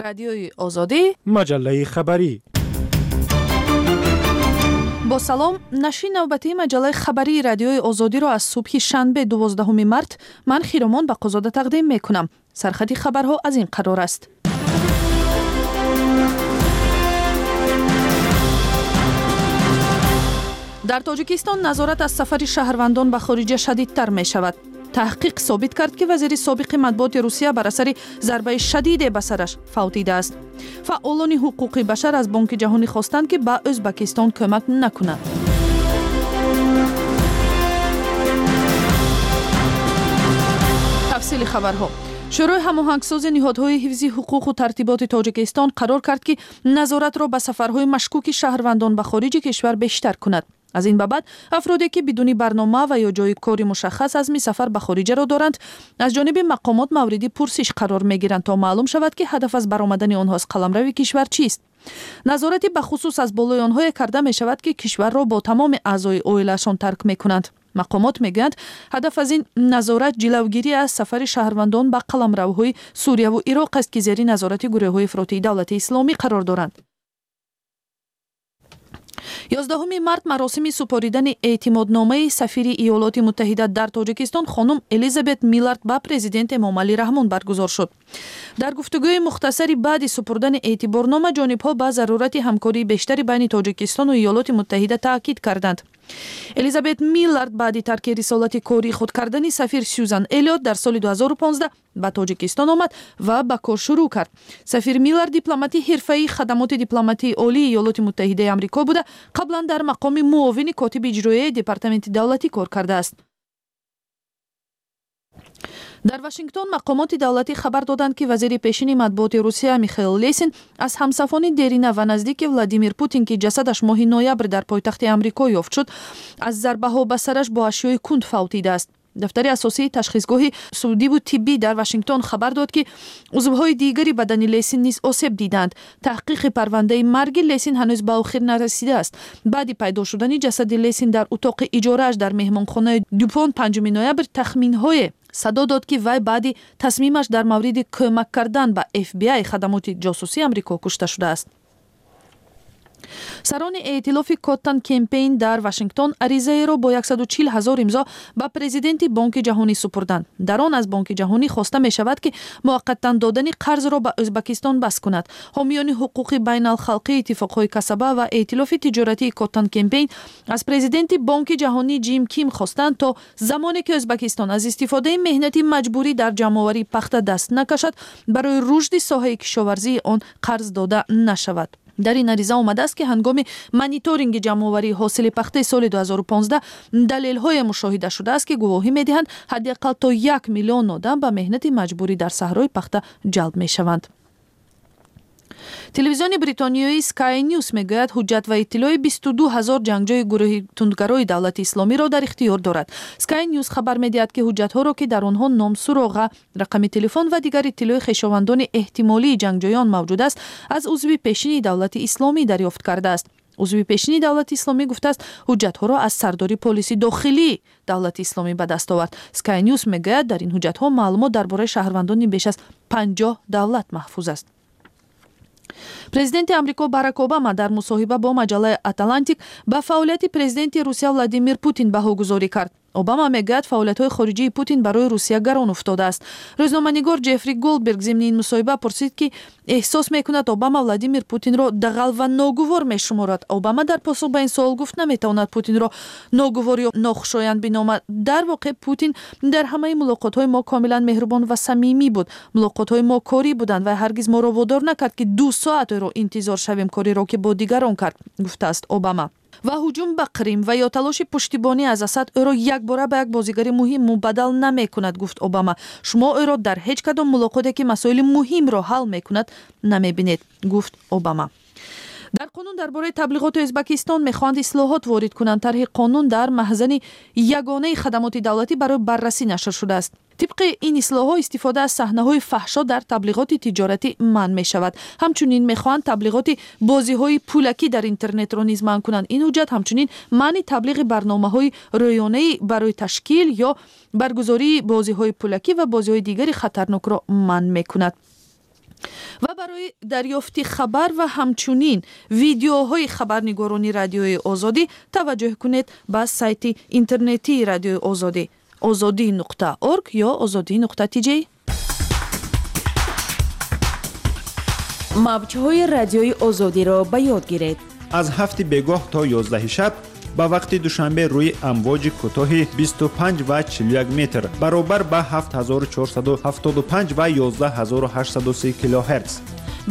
Радиои Озодӣ, маҷаллаи хабарӣ. Бо салом, нашри навбатии маҷаллаи хабарии Радиои Озодиро аз субҳи шанбе, 12 март, ман Хиромон Бақозода тақдим мекунам. Сархати хабарҳо аз ин қарор аст. Дар Тоҷикистон назорат аз сафари шаҳрвандон ба хориҷа шадидтар мешавад. Таҳқиқ собит кард, ки вазири собиқи матбуоти Русия бар асари зарбаи шадиде ба сараш фавтидааст. Фаъолони ҳуқуқи башар аз Бонки Ҷаҳонӣ хостанд, ки ба Ӯзбакистон кӯмак накунад. Тафсили хабарҳо. Шӯрои ҳамоҳангсози ниҳодҳои ҳифзи ҳуқуқу тартиботи Тоҷикистон қарор кард, ки назоратро ба сафарҳои машкуки шаҳрвандон ба хориҷи кишвар бештар кунад. Аз ин ба баъд афроде, ки бидуни барнома ва ё ҷои кори мушаххас азми сафар ба хориҷаро доранд, аз ҷониби мақомот мавриди пурсиш қарор мегиранд, то маълум шавад, ки ҳадаф аз баромадани онҳо аз қаламрави кишвар чист. Назорати бахусус аз болои онҳое карда мешавад, ки кишварро бо тамоми аъзои оилаашон тарк мекунанд. Мақомот мегӯянд, ҳадаф аз ин назорат ҷилавгирӣ аз сафари шаҳрвандон ба қаламравҳои Сурияву Ироқ аст, ки зери назорати гурӯҳҳои ифротии Давлати Исломӣ қарор доранд. 11 март маросими супоридани эътимодномаи сафири Иёлоти Муттаҳида дар Тоҷикистон хонум Элизабет Миллард ба президент Эмомалӣ Раҳмон баргузор шуд. Дар гуфтугӯи мухтасари баъди супурдани эътиборнома ҷонибҳо ба зарурати ҳамкории бештари байни Тоҷикистону Иёлоти Муттаҳида таъкид карданд. Элизабет Миллард баъди тарки рисолати кории худ кардани сафир Сюзан Элиот дар соли 2015 ба Тоҷикистон омад ва ба кор шурӯъ кард. Сафир Миллард дипломати ҳирфаии хадамоти дипломатии Олии Иёлоти Муттаҳидаи Амрико буда, қаблан дар мақоми муовини котиби иҷроияи Департаменти давлатӣ кор кардааст. Дар Вашингтон мақомоти давлатӣ хабар доданд, ки вазири пешини матбуоти Русия Михаил Лесин аз ҳамсафони дерина ва наздики Владимир Путин, ки ҷасадаш моҳи ноябр дар пойтахти Амрико ёфт шуд, аз зарбаҳо ба сараш бо ашёи кунд фавтидааст. Дафтари асосии ташхисгоҳи судиву тиббӣ дар Вашингтон хабар дод, ки узвҳои дигари бадани Лесин низ осеб диданд. Таҳқиқи парвандаи марги Лесин ҳанӯз ба охир нарасидааст. Баъди пайдо шудани ҷасади Лесин дар утоқи иҷорааш дар меҳмонхонаи Дюпон 5 ноябр тахминҳое садо дод, ки вай баъди тасмимаш дар мавриди кӯмак кардан ба FBI, хадамоти ҷосусии Амрико, кушта шудааст. Сарони эътилофи Коттон Кемпейн дар Вашингтон аризаеро бо 140 ҳазор имзо ба президенти Бонки Ҷаҳонӣ супурданд. Дар он аз Бонки Ҷаҳонӣ хоста мешавад, ки муваққатан додани қарзро ба Ӯзбакистон бас кунад. Ҳомиёни ҳуқуқи байналхалқии иттифоқҳои касаба ва эътилофи тиҷоратии Коттон Кемпейн аз президенти Бонки Ҷаҳонӣ Ҷим Ким хостанд, то замоне ки Ӯзбакистон аз истифодаи меҳнати маҷбурӣ дар ҷамъоварии пахта даст накашад, барои рушди соҳаи кишоварзии он қарз дода нашавад. Дар ин ариза омадааст, ки ҳангоми мониторинги ҷамъоварии ҳосили пахтаи соли 2015 далелҳое мушоҳида шудааст, ки гувоҳӣ медиҳанд, ҳадди ақал то 1 миллион одам ба меҳнати маҷбурӣ дар саҳрои пахта ҷалб мешаванд. Телевизиони бритониёи Sky News мегӯяд, ҳуҷҷат ва иттилои 22 ҳазор ҷангҷӯи гурӯҳи тундгарои Давлати Исломиро дар ихтиёр дорад. Sky News хабар медиҳад, ки ҳуҷҷатҳоро, ки дар онҳо ном, суроға, рақами телефон ва дигар иттилои хешовандони эҳтимолии ҷангҷӯён мавҷуд аст, аз узви пешини Давлати Исломӣ дарёфт кардааст. Узви пешини Давлати Исломӣ гуфтааст, ҳуҷҷатҳоро аз сардори полиси дохилии Давлати Исломӣ ба даст овард. Sky News мегӯяд, дар ин ҳуҷҷатҳо маълумот дар бораи шаҳрвандони беш аз 50 давлат маҳфуз аст. Президенти Амрико Барак Обама дар мусоҳиба бо маҷаллаи Атлантик ба фаъолияти президенти Русия Владимир Путин баҳогузорӣ кард. Обама мегӯяд, фаъолиятҳои хориҷии Путин барои Русия гарон уфтодааст. Рӯзноманигор Ҷеффри Голдберг зимни ин мусоҳиба пурсид, ки эҳсос мекунад, Обама Владимир Путинро дағал ва ногувор мешуморад. Обама дар посух ба ин суол гуфт, наметавонад Путинро ногувор ё нохушоянд биномад. Дар воқеъ, Путин дар ҳамаи мулоқотҳои мо комилан меҳрубон ва самимӣ буд. Мулоқотҳои мо корӣ буданд ва ҳаргиз моро водор накард, ки 2 соат ӯро интизор шавем, кореро ки бо дигарон кард, гуфтааст Обама. Ва ҳуҷум ба Қрим ва ё талоши пуштибонӣ аз Асад ӯро якбора ба як бозигари муҳим мубаддал намекунад, гуфт Обама. Шумо ӯро дар ҳеҷ кадом мулоқоте, ки масоили муҳимро ҳал мекунад, намебинед, гуфт Обама. Дар қонун дар бораи таблиғоти Ӯзбакистон мехоҳанд ислоҳот ворид кунанд. Тарҳи қонун дар маҳзани ягонаи хадамоти давлатӣ барои баррасӣ нашр шудааст. Тибқи ин ислоҳҳо, истифода аз саҳнаҳои фаҳшо дар таблиғоти тиҷоратӣ манъ мешавад. Ҳамчунин мехоҳанд таблиғоти бозиҳои пулакӣ дар интернетро низ манъ кунанд. Ин ҳуҷҷат ҳамчунин манъи таблиғи барномаҳои рӯёнаӣ барои ташкил ё баргузории бозиҳои пулакӣ ва бозиҳои дигари хатарнокро манъ мекунад. Ва барои дарёфти хабар ва ҳамчунин видеоҳои хабарнигорони Радиои Озодӣ таваҷҷӯҳ кунед ба сайти интернетии Радиои Озодӣ ozodi.org ё ozodi.tj. Мавҷҳои Радиои Озодиро ба ёд гиред. Аз 7 бегоҳ то 11 шаб ба вақти Душанбе рӯи амвоҷи кӯтоҳи 25 ва 41 метр баробар ба 7475 ва 11830 килогерц.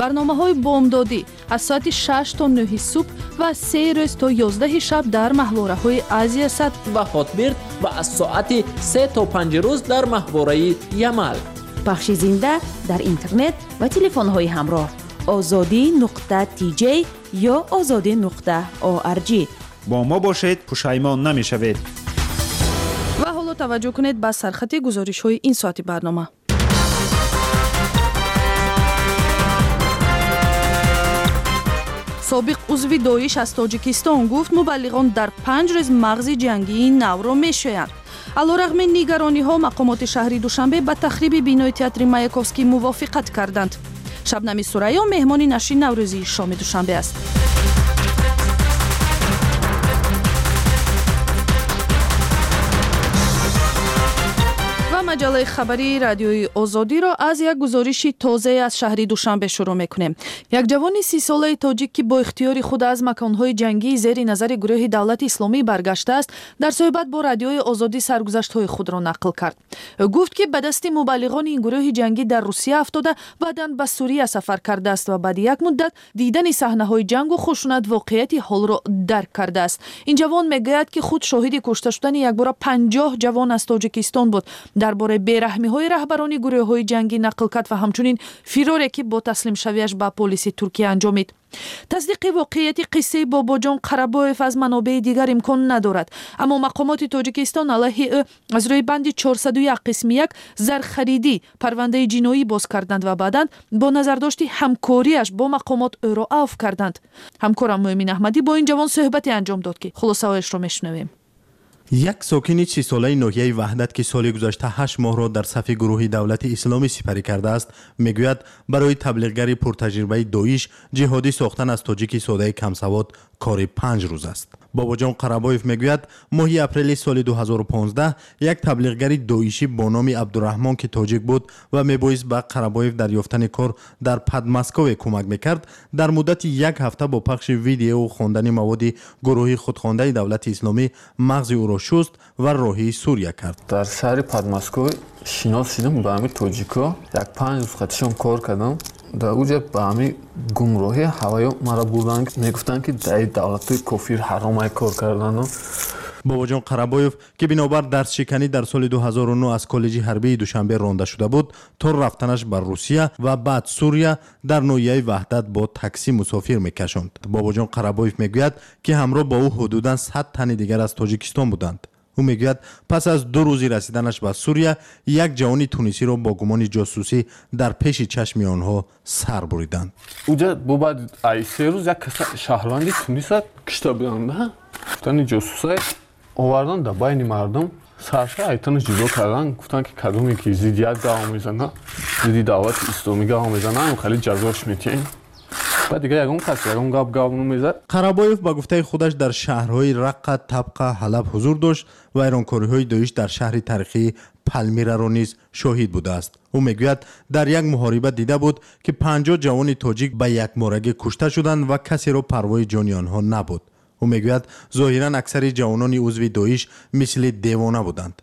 Барномаҳои бомдодӣ аз соати 6 то 9 субҳ ва 3 рӯз то 11 шаб дар маҳвораҳои Азиясат ва Хотбирд ва аз соати 3 то 5 рӯз дар маҳвораи Ямал. Пахши зинда дар интернет ва телефонҳои ҳамроҳ ozodi.tj ё ozodi.org. Бо мо бошед, пушаймон намешавед. Ва ҳоло таваҷҷӯҳ кунед ба сархати гузоришҳои ин соати барнома. Собиқ узви Доиш аз Тоҷикистон гуфт, мубаллиғон дар 5 рӯз мағзи ҷангии навро мешӯянд. Алорағми нигарониҳо, мақомоти шаҳри Душанбе ба тахриби бинои театри Маяковский мувофиқат карданд. Шабнами Сурайё меҳмони нашри наврӯзии шоми Душанбе аст. Маҷаллаи хабарии Радиои Озодиро аз як гузориши тозае аз шаҳри Душанбе шурӯъ мекунем. Як ҷавони 30-солаи тоҷик, ки бо ихтиёри худ аз маконҳои ҷангии зери назари гурӯҳи Давлати Исломӣ баргаштааст, дар суҳбат бо Радиои Озодӣ саргузаштҳои худро нақл кард. Ӯ гуфт, ки ба дасти мубаллиғони ин гурӯҳи ҷангӣ дар Русия афтода, баъдан ба Сурия сафар кардааст ва баъди як муддат дидани саҳнаҳои ҷангу хушунат воқеияти ҳолро дарк кардааст. Ин ҷавон мегӯяд, ки худ шоҳиди кушта шудани якбора 50 ҷавон аз Тоҷикистон буд. Дар бораи бераҳмиҳои раҳбарони гурӯҳҳои ҷангӣ нақл кард ва ҳамчунин фироре, ки бо таслимшавиаш ба полиси Туркия анҷомид. Тасдиқи воқеияти қиссаи Бобоҷон Қарабоев аз манобеи дигар имкон надорад, аммо мақомоти Тоҷикистон алайҳи ӯ аз рӯи банди 401 қисми 1 зархаридӣ парвандаи ҷиноӣ боз карданд ва баъдан бо назардошти ҳамкориаш бо мақомот ӯро авф карданд. Ҳамкорам Муъмин Аҳмадӣ бо ин ҷавон суҳбате анҷом дод, ки хулосаҳояшро мешунавем. Як сокини 30-солаи ноҳияи Ваҳдат, ки соли гузашта 8 моҳро дар сафи гурӯҳи Давлати Исломӣ сипарӣ кардааст, мегӯяд, барои таблиғгари пуртаҷрибаи Доиш ҷиҳодӣ сохтан аз тоҷики содаи камсавод кори 5 рӯз аст. Бобоҷон Қарабоев мегӯяд, моҳи апрели соли 2015 як таблиғгари доишӣ бо номи Абдураҳмон, ки тоҷик буд ва мебоист ба Қарабоев дар ёфтани кор дар Подмоскове кӯмак мекард, дар муддати як ҳафта бо пахши видеову хондани маводи гурӯҳи худхондаи Давлати Исломӣ мағзи ӯро шуст ва роҳии Сурия кард. Дар шаҳри Подмоскове шинос шудам ба ҳамин тоҷико, як 5 рӯз қатишон кор кардам. Дар уҷа ба ҳамин гумроҳӣ ҳаваё маро бурданд, мегуфтанд, ки дар давлатҳои кофир ҳаромай кор кардану. Бобоҷон Қарабоев, ки бинобар дарсшиканӣ дар соли 2009 аз коллеҷи ҳарбии Душанбе ронда шуда буд, то рафтанаш ба Русия ва баъд Сурия дар ноҳияи Ваҳдат бо таксӣ мусофир мекашонд. Бобоҷон Қарабоев мегӯяд, ки ҳамроҳ бо ӯ ҳудудан 100 тани дигар аз Тоҷикистон буданд. Ӯ мегӯяд, пас аз 2 рӯзи расиданаш ба Сурия як ҷавони тунисиро бо гумони ҷосусӣ дар пеши чашми онҳо сар буриданд. Уҷа бо баъд ай 3 рӯз як каса шаҳрванди Туниса кишта буданд, гуфтани ҷосусай овардан дар байни мардум, сарша айтанаш ҷудо кардан, гуфтанд, ки кадоме ки зиддият гав мезана, зидди Давлати Исломӣ гав мезана, ҳам хеле ҷазош метиҳем. Баъд дигар ягон кас ягон гап гап намезад. Қарабоев ба гуфтаи худаш дар шаҳрҳои Раққа, Табқа, Ҳалаб ҳузур дошт ва вайронкориҳои Доиш дар шаҳри таърихии Палмираро низ шоҳид будааст. Ӯ мегӯяд, дар як муҳориба дида буд, ки 50 ҷавони тоҷик ба якморагӣ кушта шуданд ва касеро парвои ҷони онҳо набуд. Ӯ мегӯяд, зоҳиран аксари ҷавонони узви Доиш мисли девона буданд.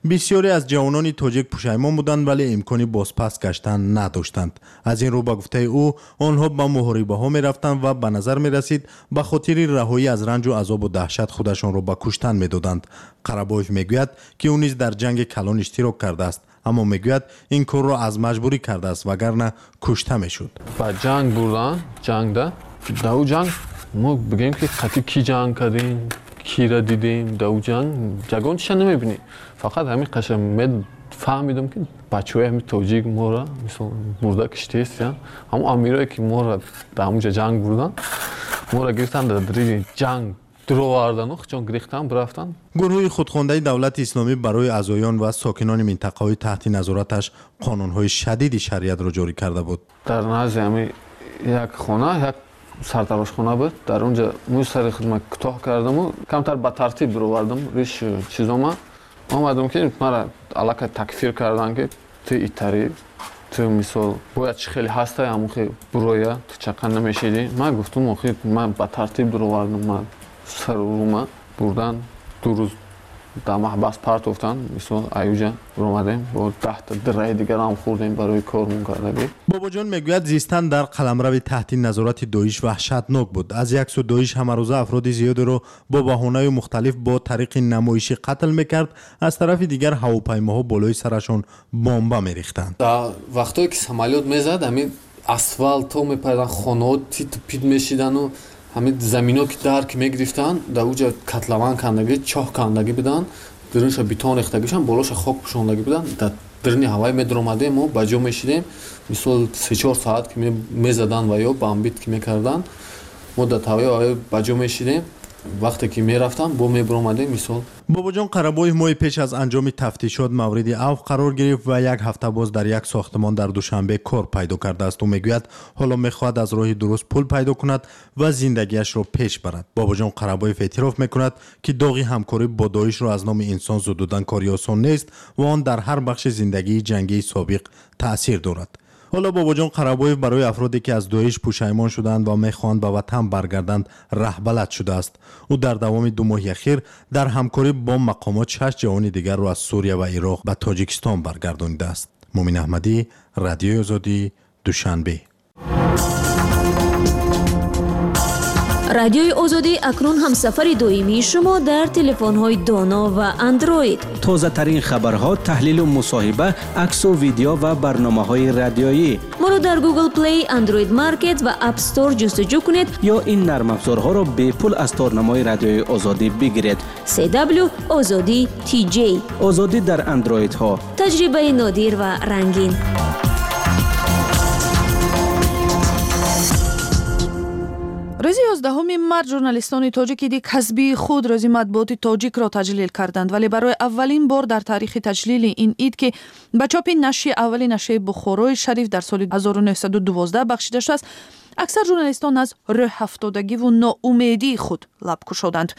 Бисёре аз ҷавонони тоҷик пушаймон буданд, вале имкони бозпас гаштан надоштанд. Аз ин рӯ, ба гуфтаи ӯ, онҳо ба муҳорибаҳо мерафтанд ва ба назар мерасид, ба хотири раҳоӣ аз ранҷу азобу даҳшат худашонро ба куштан медоданд. Қарабоев мегӯяд, ки ӯ низ дар ҷанги калон иштирок кардааст, аммо мегӯяд, ин корро аз маҷбурӣ кардааст, вагарна кушта мешуд. Ба ҷанг бурдан, ҷангда дар ӯ ҷанг мо бигӯем, ки қатъи кӣ ҷанг кардем, кира дидем, дар ӯ ҷанг ягон чиша намебинӣ. Фақат ҳамин қаша фаҳмидам, ки бачаҳои ҳамин тоҷик моро мисол бурда киштест, ҳамон амирое, ки моро дар ҳамонҷа ҷанг бурдан, моро гирифтан дар дариҷи ҷанг. Дуровардану хучон гирифтан бирафтан. Гурӯҳи худхондаи Давлати Исломӣ барои аъзоён ва сокинони минтақаҳои таҳти назораташ қонунҳои шадиди шариатро ҷорӣ карда буд. Дар назди ҳами як хона, як сартарошхона буд. Дар он ҷо мӯи сари худма кӯтоҳ кардаму камтар ба тартиб бировардам риш чизома. Омадам, ки мара аллакай такфир кардан, ки ту итарӣ, ту мисол бояд чӣ хеле ҳастай, ҳамон буроя, ту чақа намешидӣ. Ман гуфтум, охир ман ба тартиб дуровардам, ман сару рӯма бурдан, 2 рӯз дар маҳбас партофтан. Мисол, аюҷа омадем, бо 10та дираи дигарам хӯрдем барои кормон кардагӣ. Бобоҷон мегӯяд, зистан дар қаламрави таҳти назорати Доиш ваҳшатнок буд. Аз як сӯ Доиш ҳамарӯза афроди зиёдеро бо баҳонаю мухталиф бо тариқи намоишӣ қатл мекард, аз тарафи дигар ҳавопаймоҳо болои сарашон бомба мерехтанд. Дар вақтое ки самолёт мезад, ҳамин асфалтҳо мепаридан, хонаҳо титу пит мешидану ҳамин замино ки дар ки мегирифтанд, дар уҷа котлован кандагӣ, чоҳ кандагӣ буданд, дурунша бетон рехтагишан, болоша хок пӯшондагӣ буданд. Дар дурни ҳавай медуромадем, мо ба ҷо мешидем. Мисол, 3-4 соат ки мезаданд ва ё бомбить ки мекарданд, мо дар ҳаваи ба ҷо мешидем. Вақте ки мерафтам, бо мебуромадем, мисол. Бобоҷон Қарабоев моҳи пеш аз анҷоми тафтишот мавриди авф қарор гирифт ва як ҳафта боз дар як сохтмон дар Душанбе кор пайдо кардааст. Ӯ мегӯяд, ҳоло мехоҳад аз роҳи дуруст пул пайдо кунад ва зиндагиашро пеш барад. Бобоҷон Қарабоев эътироф мекунад, ки доғи ҳамкорӣ бо Доишро аз номи инсон зудудан кори осон нест ва он дар ҳар бахши зиндагии ҷангии собиқ таъсир дорад. Ҳоло Бобоҷон Қарабоев барои афроде, ки аз Доиш пушаймон шуданд ва мехоҳанд ба ватан баргарданд, раҳбалад шудааст. Ӯ дар давоми 2 моҳи ахир дар ҳамкорӣ бо мақомот 6 ҷавони дигарро аз Сурия ва Ироқ ба Тоҷикистон баргардонидааст. Мумин Аҳмадӣ, Радиои Озодӣ, Душанбе. Радиои Озодӣ акнун ҳамсафари доимии шумо дар телефонҳои доно ва андроид. Тозатарин хабарҳо, таҳлилу мусоҳиба, аксу видео ва барномаҳои радиоӣ. Моро дар Google Play, Android Market ва App Store ҷустуҷӯ кунед ё ин нармафзорҳоро бепул аз торнамои Радиои Озодӣ бигиред. CW Озодӣ TJ. Озодӣ дар андроидҳо. Таҷрибаи нодир ва рангин. Рӯзи 11 март журналистони тоҷик иди касбии худ, рӯзи матбуоти тоҷикро таҷлил карданд, вале барои аввалин бор дар таърихи таҷлили ин ид, ки ба чопи нашри аввали нашрияи Бухорои Шариф дар соли 1912 бахшида шудааст, аксар журналистон аз рӯҳафтодагиву ноумедии худ лаб кушоданд.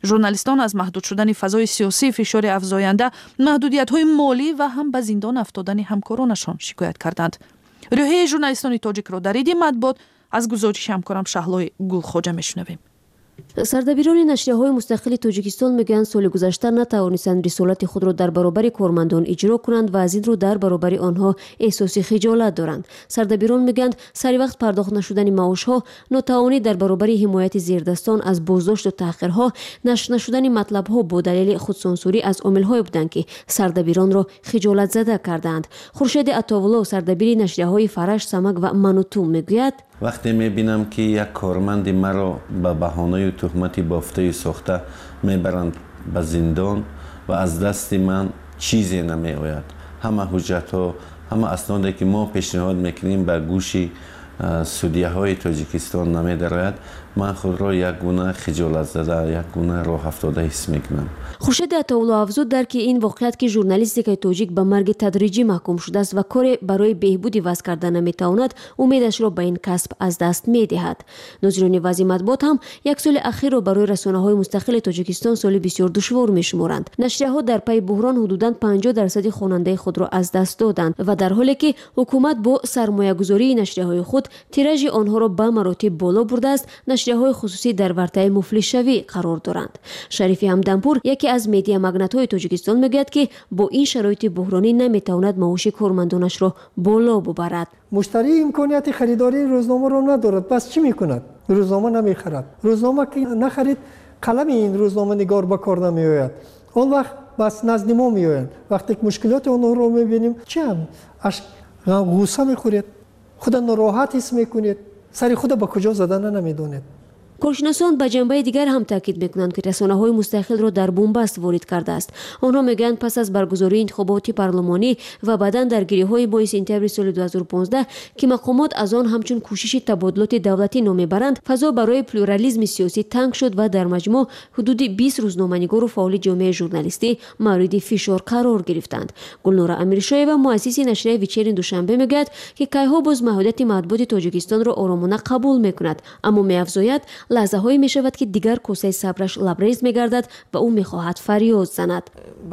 Журналистон аз маҳдуд шудани фазои сиёсӣ, фишори афзоянда, маҳдудиятҳои молӣ ва ҳам ба зиндон афтодани ҳамкоронашон шикоят карданд. Рӯҳияи журналистони тоҷикро дар иди матбуот аз гузориши ҳамкорам Шаҳлои Гулхоҷа мешунавем. Сардабирони нашрияҳои мустақили Тоҷикистон мегӯянд, соли гузашта натавонистанд рисолати худро дар баробари кормандон иҷро кунанд ва аз ин рӯ дар баробари онҳо эҳсоси хиҷолат доранд. Сардабирон мегӯянд, сари вақт пардохт нашудани маошҳо, нотавонӣ дар баробари ҳимояти зердастон аз боздошту таҳқирҳо, нашр нашудани матлабҳо бо далели худсонсурӣ аз омилҳое буданд, ки сардабиронро хиҷолатзада кардаанд. Хуршеди Атовулло, сардабири нашрияҳои Фараш, Самак ва Мануту, мегӯяд: вақте мебинам, ки як корманди маро ба баҳонаю туҳмати бофтаю сохта мебаранд ба зиндон ва аз дасти ман чизе намеояд, ҳама ҳуҷҷатҳо, ҳама асноде, ки мо пешниҳод мекунем, ба гӯши судияҳои Тоҷикистон намедарояд, ман худро як гуна хиҷолатзада, як гуна роҳафтода ҳис мекунам. Хуршеди Атовулло афзуд, дарки ин воқеият, ки журналистикаи тоҷик ба марги тадриҷӣ маҳкум шудааст ва коре барои беҳбуди вазъ карда наметавонад, умедашро ба ин касб аз даст медиҳад. Нозирони вазъи матбуот ҳам як соли ахирро барои расонаҳои мустақили Тоҷикистон соли бисёр душвор мешуморанд. Нашрияҳо дар пайи буҳрон ҳудудан 50% хонандаи худро аз даст доданд ва дар ҳоле ки ҳукумат бо сармоягузории нашрияҳои худ тиражи онҳоро ба маротиб боло бурдааст, нашрияҳои хусусӣ дар вартаи муфлисшавӣ қарор доранд. Шарифи Ҳамдампур, яке аз медиамагнатҳои Тоҷикистон, мегӯяд, ки бо ин шароити буҳронӣ наметавонад маоши кормандонашро боло бубарад. Муштарӣ имконияти харидории рӯзномаро надорад, пас чӣ мекунад? Рӯзнома намехарад. Рӯзнома ки нахарид, қалами ин рӯзноманигор ба кор намеояд. Он вақт бас назди мо меоянд. Вақте ки мушкилоти онҳоро мебинем, чӣ ҳам ғусса мехӯред, худа нороҳат ҳис мекунед, сари худа ба куҷо задана намедонед. Коршиносон ба ҷанбаи дигар ҳам таъкид мекунанд, ки расонаҳои мустақилро дар бунбаст ворид кардааст. Онҳо мегӯянд, пас аз баргузории интихоботи парлумонӣ ва баъдан даргириҳои моҳи сентябри соли 2015, ки мақомот аз он ҳамчун кӯшиши табодулоти давлатӣ ном мебаранд, фазо барои плюрализми сиёсӣ танг шуд ва дар маҷмӯъ ҳудуди 20 рӯзноманигору фаъоли ҷомеаи журналистӣ мавриди фишор қарор гирифтанд. Гулнора Амиршоева, муассиси нашрияи «Вечерний Душанбе», мегӯяд, ки кайҳо боз маҳдудияти матбуоти Тоҷикистонро оромона қабул мекунад, аммо меафзояд, лаҳзаҳое мешавад, ки дигар косаи сабраш лабрез мегардад ва ӯ мехоҳад фарёд занад.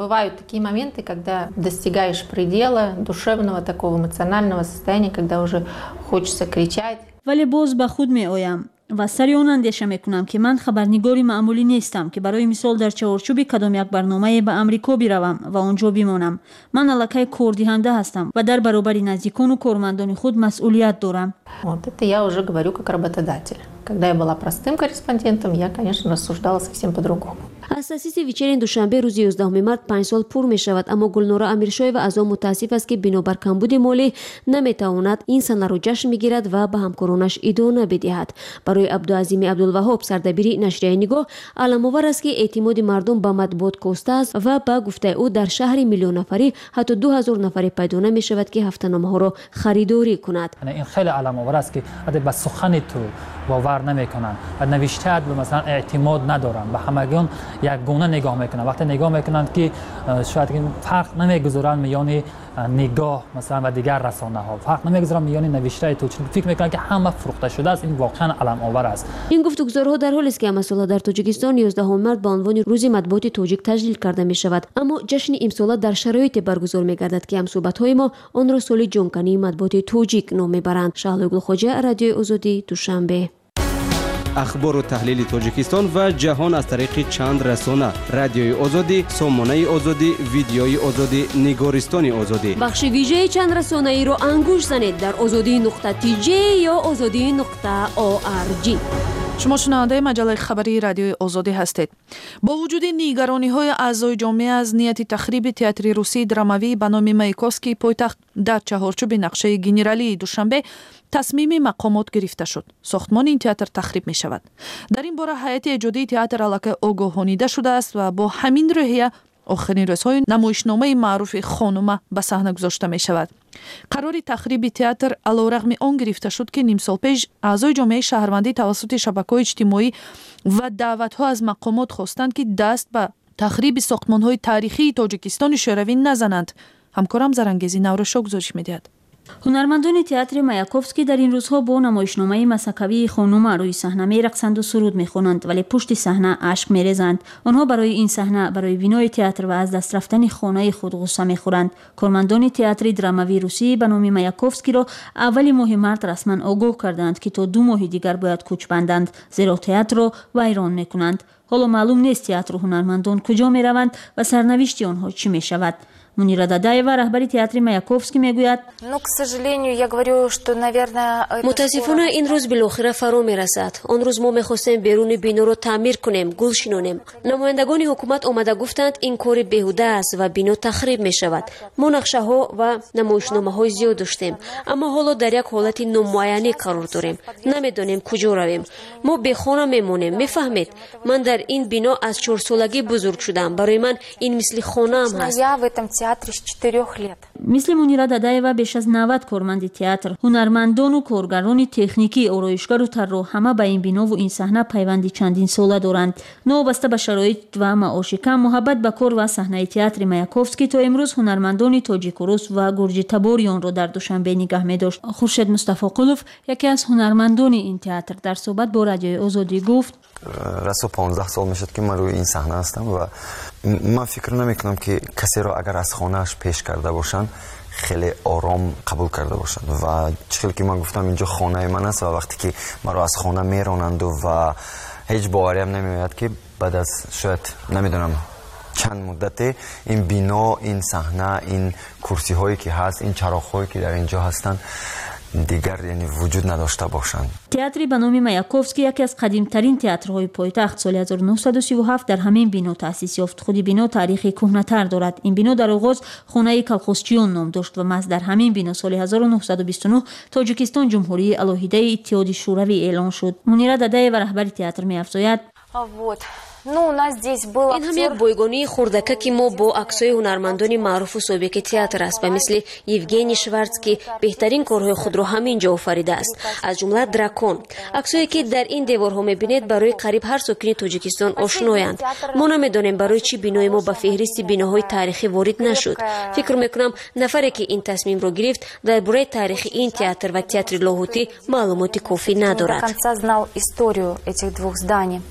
Бывают такие моменты, когда достигаешь предела душевного такого эмоционального состояния, когда уже хочется кричать. Вале боз ба худ меоям ва сари он андеша мекунам, ки ман хабарнигори маъмулӣ нестам, ки барои мисол дар чаҳорчӯби кадом як барномае ба Амрико биравам ва он ҷо бимонам. Ман аллакай кордиҳанда ҳастам ва дар баробари наздикону кормандони худ масъулият дорам. Вот это я уже говорю как работодатель. Когда я была простым корреспондентом, я, конечно, рассуждала совсем по-другому. Аз таъсиси «Вечерний Душанбе» рӯзи 11 март 5 сол пур мешавад, аммо Гулнора Амиршоева аз он мутаассиф аст, ки бинобар камбуди молӣ наметавонад ин санаро ҷашн бигирад ва ба ҳамкоронаш идона бидиҳад. Барои Абдуазими Абдулваҳоб, сардабири нашрияи «Нигоҳ», аламовар аст, ки эътимоди мардум ба матбуот костааст ва ба гуфтаи ӯ, дар шаҳри миллионнафарӣ ҳатто 2000 нафаре пайдо намешавад, ки ҳафтаномаҳоро харидорӣ кунад. Ин хеле аламовар аст, ки ба сухани ту бовар намекунанд ва навиштаат масалан эътимод надоранд, ба ҳамагон якгуна нигоҳ мекунанд. Вақте нигоҳ мекунанд, ки шояд фарқ намегузоранд миёни «Нигоҳ» масалан ва дигар расонаҳо, фарқ намегузоранд миёни навиштаи ту, чун фикр мекунанд, ки ҳама фурӯхта шудааст. Ин воқеан аламовар аст. Ин гуфтугузорҳо дар ҳолест, ки ҳамасола дар Тоҷикистон 11 март ба унвони Рӯзи матбуоти тоҷик таҷлил карда мешавад, аммо ҷашни имсола дар шароите баргузор мегардад, ки ҳамсӯҳбатҳои мо онро соли ҷонкании матбуоти тоҷик ном мебаранд. Шаҳлои Гулхоҷа, Радиои Озодӣ, Душанбе. Ахбору таҳлили Тоҷикистон ва ҷаҳон аз тариқи чанд расона: Радиои Озодӣ, Сомонаи Озодӣ, Видеои Озодӣ, Нигористони Озодӣ. Бахши вижаи чандрасонаиро ангушт занед дар озодӣ.тж ё озодӣ.орг. Шумо шунавандаи маҷаллаи хабарии Радиои Озодӣ ҳастед. Бо вуҷуди нигарониҳои аъзои ҷомеа аз нияти тахриби театри русии драмавӣ ба номи Маяковскии пойтахт дар чаҳорчӯби нақшаи генералии Душанбе, тасмими мақомот гирифта шуд: сохтмони ин театр тахриб мешавад. Дар ин бора ҳайати эҷодии театр аллакай огоҳонида шудааст ва бо ҳамин рӯҳия охирин рӯзҳои намоишномаи маъруфи «Хонума» ба саҳна гузошта мешавад. Қарори тахриби театр алорағми он гирифта шуд, ки нимсол пеш аъзои ҷомеаи шаҳрвандӣ тавассути шабакаҳои иҷтимоӣ ва даъватҳо аз мақомот хостанд, ки даст ба тахриби сохтмонҳои таърихии Тоҷикистони шӯравӣ назананд. Ҳамкорам Зарангези Наврӯзшо гузориш медиҳад. Ҳунармандони театри Маяковский дар ин рӯзҳо бо намоишномаи масхакавии «Хонума» рӯи саҳна мерақсанду суруд мехонанд, вале пушти саҳна ашк мерезанд. Онҳо барои ин саҳна, барои бинои театр ва аз даст рафтани хонаи худ ғусса мехӯранд. Кормандони театри драмавии русӣ ба номи Маяковскиро аввали моҳи март расман огоҳ карданд, ки то 2 моҳи дигар бояд кӯч банданд, зеро театрро вайрон мекунанд. Ҳоло маълум нест, театру ҳунармандон куҷо мераванд ва сарнавишти онҳо чӣ мешавад. Мунира Дадаева, раҳбари театри Маяковский, мегӯяд: Ну, к сожалению, я говорю, что, наверное, Мутаассифона, ин рӯз билохира фаро мерасад. Он рӯз мо мехостем беруни биноро таъмир кунем, гул шинонем. Намояндагони ҳукумат омада гуфтанд, ин кори беҳуда аст ва бино тахриб мешавад. Мо нақшаҳо ва намоишномаҳои зиёд доштем, аммо ҳоло дар як ҳолати номуайянӣ қарор дорем, намедонем куҷо равем. Мо бехона мемонем, мефаҳмед? Ман дар ин бино аз чорсолагӣ бузург шудам, барои ман ин мисли хонаам ҳаст. Я в этом театре с 4 лет. Мисли Мунира Дадаева беш аз 90 корманди театр, ҳунармандону коргарони техникӣ, ороишгару тарроҳ ҳама ба ин бинову ин саҳна пайванди чандинсола доранд. Новобаста ба шароит ва маоши кам, муҳаббат ба кор ва саҳнаи театри Маяковский то имрӯз ҳунармандони тоҷику рус ва гурҷитабори онро дар Душанбе нигаҳ медошт. Хуршед Мустафоқулов, яке аз ҳунармандони ин театр, дар суҳбат бо Радиои Озодӣ гуфт: Расо 15 сол мешуд, ки ман рӯи ин саҳна ҳастам ва ман фикр намекунам, ки касеро агар аз хонааш пеш карда бошанд, хеле ором қабул карда бошанд. Ва чӣ хеле ки ман гуфтам, инҷо хонаи ман аст ва вақте ки маро аз хона меронанду ва ҳеҷ бовариам намеояд, ки баъд аз шояд намедонам чанд муддате ин бино, ин саҳна, ин курсиҳое ки ҳаст, ин чароғҳое ки дар инҷо ҳастанд. Дигар, яъне, вуҷуд надошта бошанд. Театри ба номи Маяковский яке аз қадимтарин театрҳои пойтахт соли 1937 дар ҳамин бино таъсис ёфт. Худи бино таърихи кӯҳнатар дорад. Ин бино дар оғоз хонаи колхозчиён ном дошт ва маҳз дар ҳамин бино соли 1929 Тоҷикистон ҷумҳурии алоҳидаи Иттиҳоди Шӯравӣ эълон шуд. Мунира Дадаева, раҳбари театр, меафзояд: Вот. Ну, у нас здесь был Ин ҳам як бойгонии хурдакаки мо бо аксҳои ҳунармандони маъруфу собиқи театр аст, ба мисли Евгений Шварц, ки беҳтарин корҳои худро ҳамин ҷо офаридааст, аз ҷумла «Дракон». Аксҳое, ки дар ин деворҳо мебинед, барои қариб ҳар сокини Тоҷикистон ошноянд. Мо намедонем, барои чӣ бинои мо ба феҳристи биноҳои таърихӣ ворид нашуд. Фикр мекунам, нафаре, ки ин тасмимро гирифт, дар бораи таърихи ин театр ва театри Лоҳутӣ маълумоти кофӣ надорад. Конца знал историю этих двух зданий.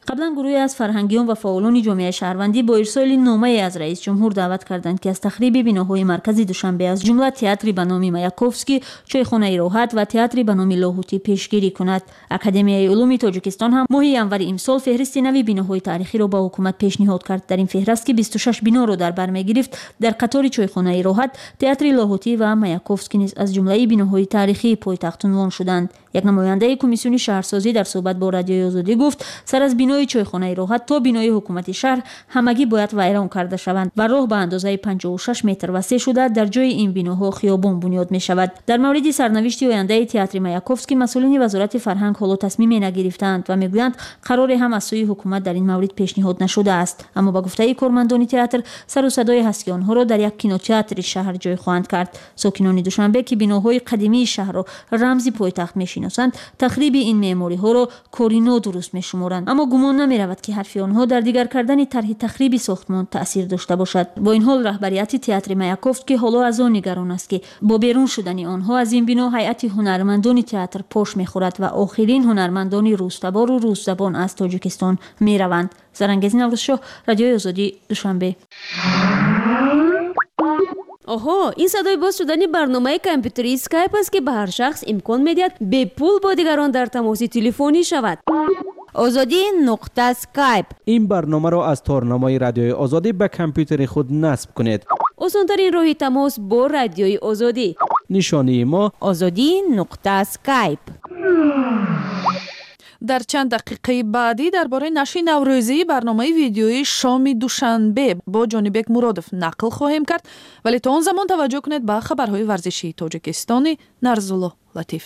Қаблан гурӯҳе аз фарҳангиён ва фаъолони ҷомеаи шаҳрвандӣ бо ирсоли номае аз раис ҷумҳур даъват карданд, ки аз тахриби биноҳои маркази Душанбе, аз ҷумла театри ба номи Маяковский, чойхонаи Роҳат ва театри ба номи Лоҳутӣ пешгирӣ кунад. Академияи улуми Тоҷикистон ҳам моҳи январи имсол феҳристи нави биноҳои таърихиро ба ҳукумат пешниҳод кард. Дар ин феҳраст, ки 26 биноро дар бар мегирифт, дар қатори чойхонаи Роҳат, театри Лоҳутӣ ва Маяковский низ аз ҷумлаи биноҳои таърихии пойтахт унвон шуданд. Як намояндаи комиссиони шаҳрсозӣ дар суҳбат бо Радиои Озодӣ гуфт, сар аз бинои чойхонаи Роҳат то бинои ҳукумати шаҳр ҳамагӣ бояд вайрон карда шаванд ва роҳ ба андозаи 56 метр васеъ шуда, дар ҷои ин биноҳо хиёбон бунёд мешавад. Дар мавриди сарнавишти ояндаи театри Маяковский масъулини Вазорати фарҳанг ҳоло тасмиме нагирифтаанд ва мегӯянд, қароре ҳам аз сӯи ҳукумат дар ин маврид пешниҳод нашудааст. Аммо ба гуфтаи кормандони театр, сару садое ҳаст, ки онҳоро дар як кинотеатри шаҳр ҷой хоҳанд кард. Сокинони Душанбе, ки биноҳои қадимии шаҳрро рамзи пойтахт мешиносанд, тахриби ин меъмориҳоро кори нодуруст мешуморанд. Аммо гумон намеравад, ки ҳарфи онҳо дар дигар кардани тарҳи тахриби сохтмон таъсир дошта бошад. Бо ин ҳол, раҳбарияти театри Маяковский ҳоло аз он нигарон аст, ки бо берун шудани онҳо аз ин бино ҳайати ҳунармандони театр пош мехӯрад ва охирин ҳунармандони рӯстабору русзабон аз Тоҷикистон мераванд. Зарангези Наврӯзшоҳ, Радиои Озодӣ, Душанбе. Оҳо, ин садои боз шудани барномаи компютерии Скайп аст, ки ба ҳар шахс имкон медиҳад бепул бо дигарон дар тамоси телефонӣ шавад. Озодӣ.скайп. Ин барномаро аз торнамои Радиои Озодӣ ба компютери худ насб кунед. Осонтарин роҳи тамос бо Радиои Озодӣ. Нишонии мо: Озодӣ.скайп. Дар чанд дақиқаи баъдӣ дар бораи нашри наврӯзии барномаи видеоии «Шоми Душанбе» бо Ҷонибек Муродов нақл хоҳем кард, вале то он замон таваҷҷӯҳ кунед ба хабарҳои варзишии тоҷикистони Нарзулло Латиф.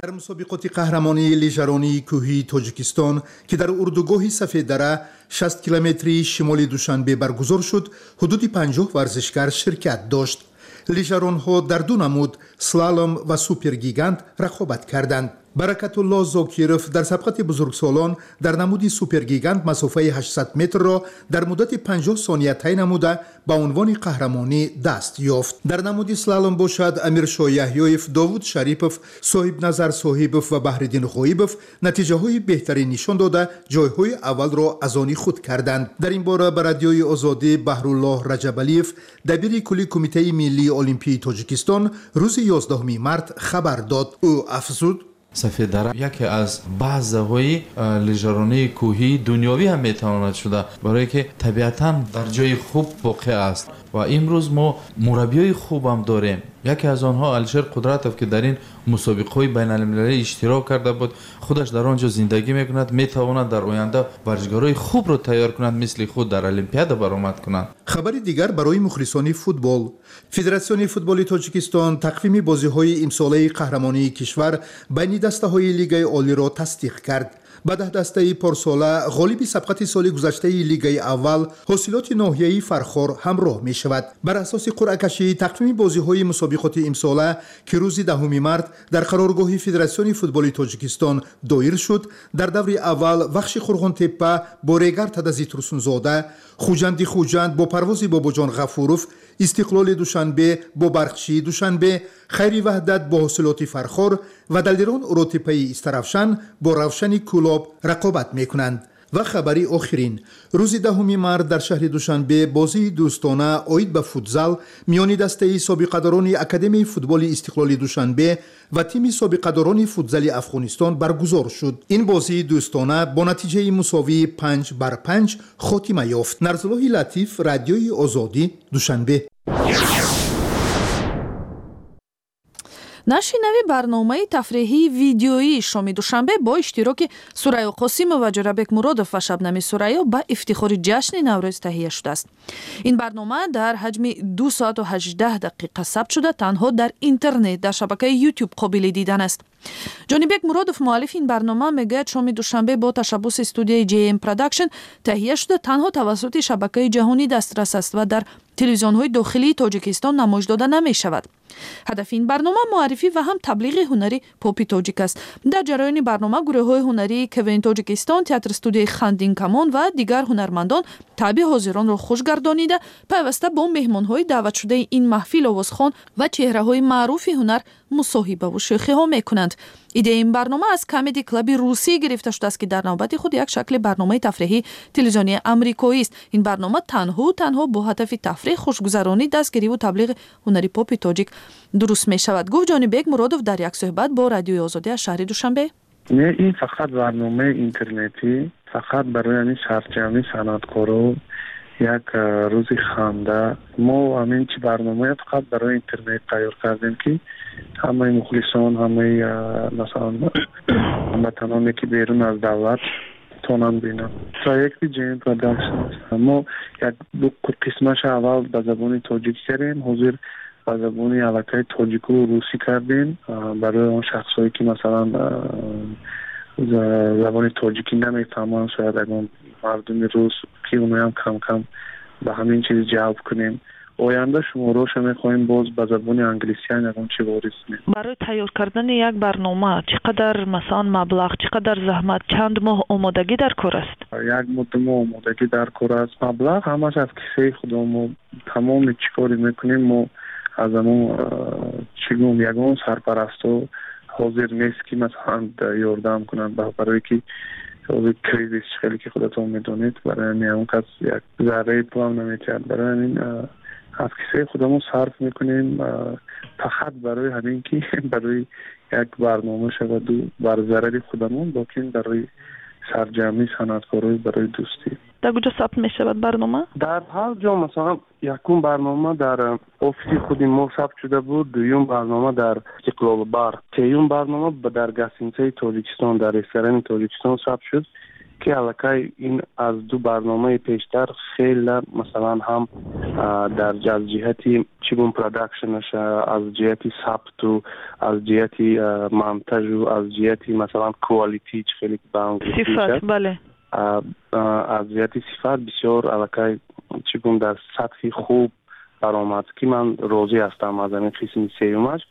Дар мусобиқоти қаҳрамонии лижаронии кӯҳии Тоҷикистон, ки дар урдугоҳи Сафеддара, 60 километрии шимоли Душанбе, баргузор шуд, ҳудуди 50 варзишгар ширкат дошт. Лижаронҳо дар ду намуд, слалом ва супергигант, рақобат карданд. Баракатулло Зокиров дар сабқати бузургсолон дар намуди супергигант масофаи 800 метрро дар муддати 50 сония тай намуда, ба унвони қаҳрамонӣ даст ёфт. Дар намуди слалом бошад, Амиршоҳ Яҳёев, Довуд Шарипов, Соҳибназар Соҳибов ва Баҳриддин Ғоибов натиҷаҳои беҳтарин нишон дода, ҷойҳои аввалро аз они худ карданд. Дар ин бора ба Радиои Озодӣ Баҳруллоҳ Раҷабалиев, дабири кулли Кумитаи миллии олимпии Тоҷикистон, рӯзи 11 март хабар дод. Ӯ афзуд: Сафеддара яке аз базаҳои лижаронии кӯҳии дунёвӣ ҳам метавонад шуда, барое ки табиатан дар ҷои хуб воқеъ аст ва имрӯз мо мураббиёи хубам дорем. Яке аз онҳо Алишер Қудратов, ки дар ин мусобиқаҳои байналмилалӣ иштирок карда буд, худаш дар он ҷо зиндагӣ мекунад, метавонад дар оянда варзишгарои хубро тайёр кунад, мисли худ дар Олимпиада баромад кунанд. Хабари дигар барои мухлисони футбол: Федератсиони футболи Тоҷикистон тақвими бозиҳои имсолаи қаҳрамонии кишвар байни дастаҳои лигаи олиро тасдиқ кард. Ба 10 дастаи порсола ғолиби сабқати соли гузаштаи лигаи аввал, Ҳосилоти ноҳияи Фархор, ҳамроҳ мешавад. Бар асоси қуръакашӣ, тақвими бозиҳои мусобиқоти имсола, ки рӯзи 10 март дар қароргоҳи Федератсиони футболи Тоҷикистон доир шуд, дар даври аввал Вахши Қурғонтеппа бо Регар Тадази Турсунзода, Хуҷанди Хуҷанд бо Парвози Бобоҷон Ғафуров, Истиқлоли Душанбе бо Барқчии Душанбе, Хайри Ваҳдат бо Ҳосилоти Фархор ва Далерон Уротеппаи Истаравшан бо Равшани Кӯлоб рақобат мекунанд. Ва хабари охирин: рӯзи 10 март дар шаҳри Душанбе бозии дӯстона оид ба футзал миёни дастаи собиқадорони Академияи футболи Истиқлоли Душанбе ва тими собиқадорони футзали Афғонистон баргузор шуд. Ин бозии дӯстона бо натиҷаи мусовии 5 бар 5 хотима ёфт. Нарзуллоҳи Латиф, Радиои Озодӣ, Душанбе. Нашри нави барномаи тафреҳии видеоии Шоми Душанбе бо иштироки Сурайё Қосимова, Ҷӯрабек Муродов ва Шабнами Сурайё ба ифтихори ҷашни Наврӯз таҳия шудааст. Ин барнома дар ҳаҷми 2 соату 18 дақиқа сабт шуда, танҳо дар интернет дар шабакаи YouTube қобили дидан аст. Ҷонибек Муродов, муаллифи ин барнома, мегӯяд, Шоми Душанбе бо ташаббуси студияи JM Production таҳия шуда, танҳо тавассути шабакаи ҷаҳонӣ дастрас аст ва дар телевизионҳои дохилии Тоҷикистон намоиш дода намешавад. Ҳадафи ин барнома муаррифӣ ва ҳам таблиғи ҳунари попи тоҷик аст. Дар ҷараёни барнома гурӯҳҳои ҳунарии КВН Тоҷикистон, театр студияи Хандинкамон ва дигар ҳунармандон таъби ҳозиронро хуш гардонида, пайваста бо меҳмонҳои даъватшудаи ин маҳфил, овозхон ва чеҳраҳои маъруфи ҳунар мусоҳибаву шӯхиҳо мекунанд. Идеяи ин барнома аз Камеди Клаби русӣ гирифта шудааст, ки дар навбати худ як шакли барномаи тафреҳии телевизионии амрикоист. Ин барнома танҳу танҳо бо ҳадафи тафреҳ, хушгузаронӣ, дастгириву таблиғи ҳунари попи тоҷик дуруст мешавад, гуфт Ҷонибек Муродов дар як суҳбат бо Радиои Озодӣ аз шаҳри Душанбе. Не, ин фақат барномаи интернетӣ, фақат барои ҳамин сарҷамъи санъаткоро, як рӯзи ханда. Мо ҳамин чи барномая фақат барои интернет тайёр кардем, ки ҳамаи мухлисон, ҳамаи, масалан, ҳамватаноне, ки берун аз давлат, тонанд бинанд. Проекти JM Production аст. Мо як ду қисмаша аввал ба забони тоҷикӣ кардем, ҳозир ба забони аллакай тоҷику русӣ кардем, барои он шахсҳое, ки, масалан, забони тоҷикӣ намефаҳманд, шояд ягон мардуми рус, ки оноям кам кам ба ҳамин чиз ҷалб кунем. Оянда шумороша мехоҳем боз ба забони англисиам ягон чи ворид кунем. Барои тайёр кардани як барнома чӣ қадар, масалан, маблағ, чӣ қадар заҳмат, чанд моҳ омодагӣ дар кор аст? Як моҳ, 2 моҳ омодагӣ дар кор аст. Маблағ ҳамаш аз кисаи худо. Мо тамоми чӣ коре мекунем, мо аз ҳамон, чӣ гӯм, ягон сарпарасто ҳозир нест, ки, масалан, ёрдам кунанд, барое ки ҳозир кризис, хеле ки худатон медонед, барои ҳамин ягон кас як зарраи пулам наметиҳад. Барои ҳамин аз кисаи худамон сарф мекунем, фақат барои ҳамин ки барои як барнома шаваду бар зарари худамон, лекин барои сарҷамъи санъаткорои, барои дӯстӣ. Дар куҷо сабт мешавад барнома? Дар ҳар ҷо. Масалан, якум барнома дар офиси худи мо сабт шуда буд, дуюм барнома дар Истиқлол бар, сеюм барнома дар гостиницаи Тоҷикистон, дар ресторани Тоҷикистон сабт шуд, ки аллакай ин аз ду барномаи пештар хеле, масалан, ҳам дар аз ҷиҳати, чӣ гӯм, продакшнаша, аз ҷиҳати сабту, аз ҷиҳати монтажу, аз ҷиҳати, масалан, quality, чӣ хеле ба сифат, бале. Аз ҷиҳати сифат бисёр аллакай, чӣ гӯм, дар сатҳи хуб баромад, ки ман розӣ ҳастам аз ҳамин қисми сеюмаш.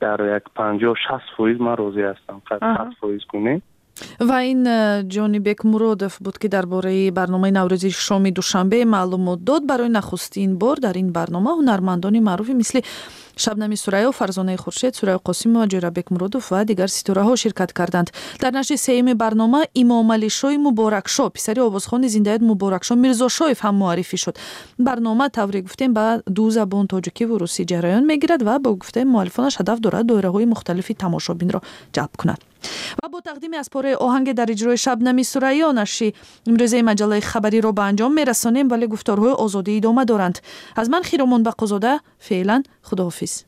Дар як 50-60% ман розӣ ҳастам, 100% кунем. Ва ин Ҷонибек Муродов буд, ки дар бораи барномаи наврӯзи Шоми Душанбе маълумот дод. Барои нахустин бор дар ин барнома ҳунармандони маъруфи мисли Шабнами Сурайё, Фарзонаи Хуршед, Сурайё Қосимова, Ҷӯрабек Муродов ва дигар ситораҳо ширкат карданд. Дар нашри сеюми барнома Имомалишои Муборакшо, писари овозхони зиндаёд Муборакшо Мирзошоев, ҳам муаррифӣ шуд. Барнома, тавре гуфтем, ба ду забон, тоҷикиву русӣ, ҷараён мегирад ва бо гуфтаи муаллифонаш ҳадаф дорад доираҳои мухталифи тамошобинро ҷалб кунад. Ва бо тақдими аз пораи оҳанге дар иҷрои Шабнами Сурайё нашри имрӯзаи маҷаллаи хабариро ба анҷом мерасонем, вале гуфторҳои Озодӣ идома доранд. Аз ман, Хиромон Бақозода, феълан худоҳофиз.